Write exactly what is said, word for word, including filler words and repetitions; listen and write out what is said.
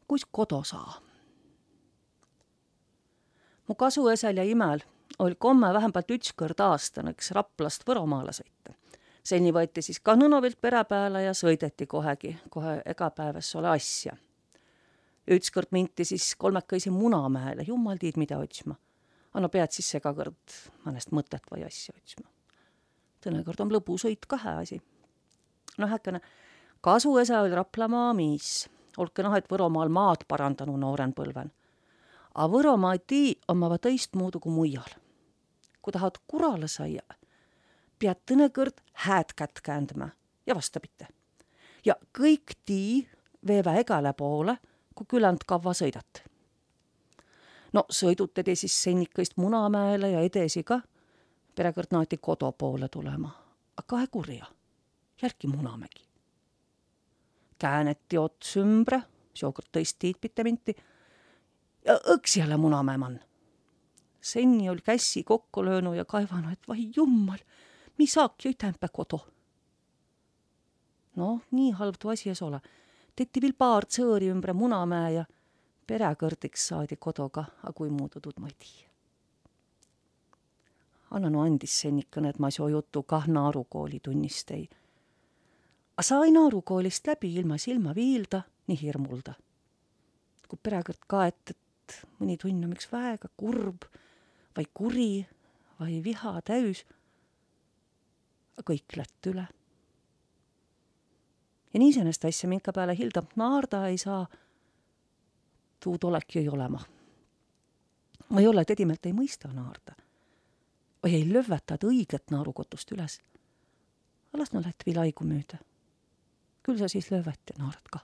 kuis kodo saa. Mu kasuesäl ja imäl oll' komme vähämbält üts kõrd aastan õks Raplast Võromaale sõita. Seni võeti sis kah nõno vilt perä pääle ja sõideti kohegi, kohe egapäevas ole asja. Üts kõrd minti sis kolmekõisi Munamäele, jummal tiid, midä otsma. A no peat sis sega kõrd määnest mõtet vai asja otsma. Tõnõ kõrd om lõbusõit kah hää asi. No häkene, kasuesä oll' Raplamaa miis. Olke noh, et Võromaal maad parandanu noorenpõlven. A Võromaa tii ommava tõistmuudu ku muial. Ku tahat kurale saia, peat tõnõ kõrd hääd kätt käändmä ja vastapite. Ja kõik tii veevä egale poole, ku küländ kavva sõidat. No sõidutedi sis sennikõist Munamäele ja edesi ka, peräkõrd naati kodo poole tulema. A kae kurja, jälki Munamägi. Kääneti ots ümbre, seokõrd tõist tiid pite minti, ja õks jälle Munamäe man. Senni oll' kässi kokko löönu ja kaivanu, et vai jummal, mi saak jo ütämpä kodo. No, nii halv tuu asi es ole. Tetti viil paar tsõõri ümbre Munamäe ja peräkõrd iks saadi kodo ka, a kuimuudu, tuud ma ei tii. Anna no andis, sennikõnõ, et ma seo jutu kah naarukooli tunnis tei. A sai naarukoolist läbi ilma silmä viilda ni hirmulda. Ku peräkõrd kaet, et mõni tunn om iks väega kurb vai kuri vai viha täüs, a kõik lätt üle. Ja nii säändest asja, minka pääle hildamp naarda ei saa, tuud olek jõi olema. Ma ei ole, tedi meelt ei mõista naarda. Vai ei lövväta õigõt naarukotust üles. A las no lätt viil aigu müüdä. Küll sa sis lövvät ja naarad kah.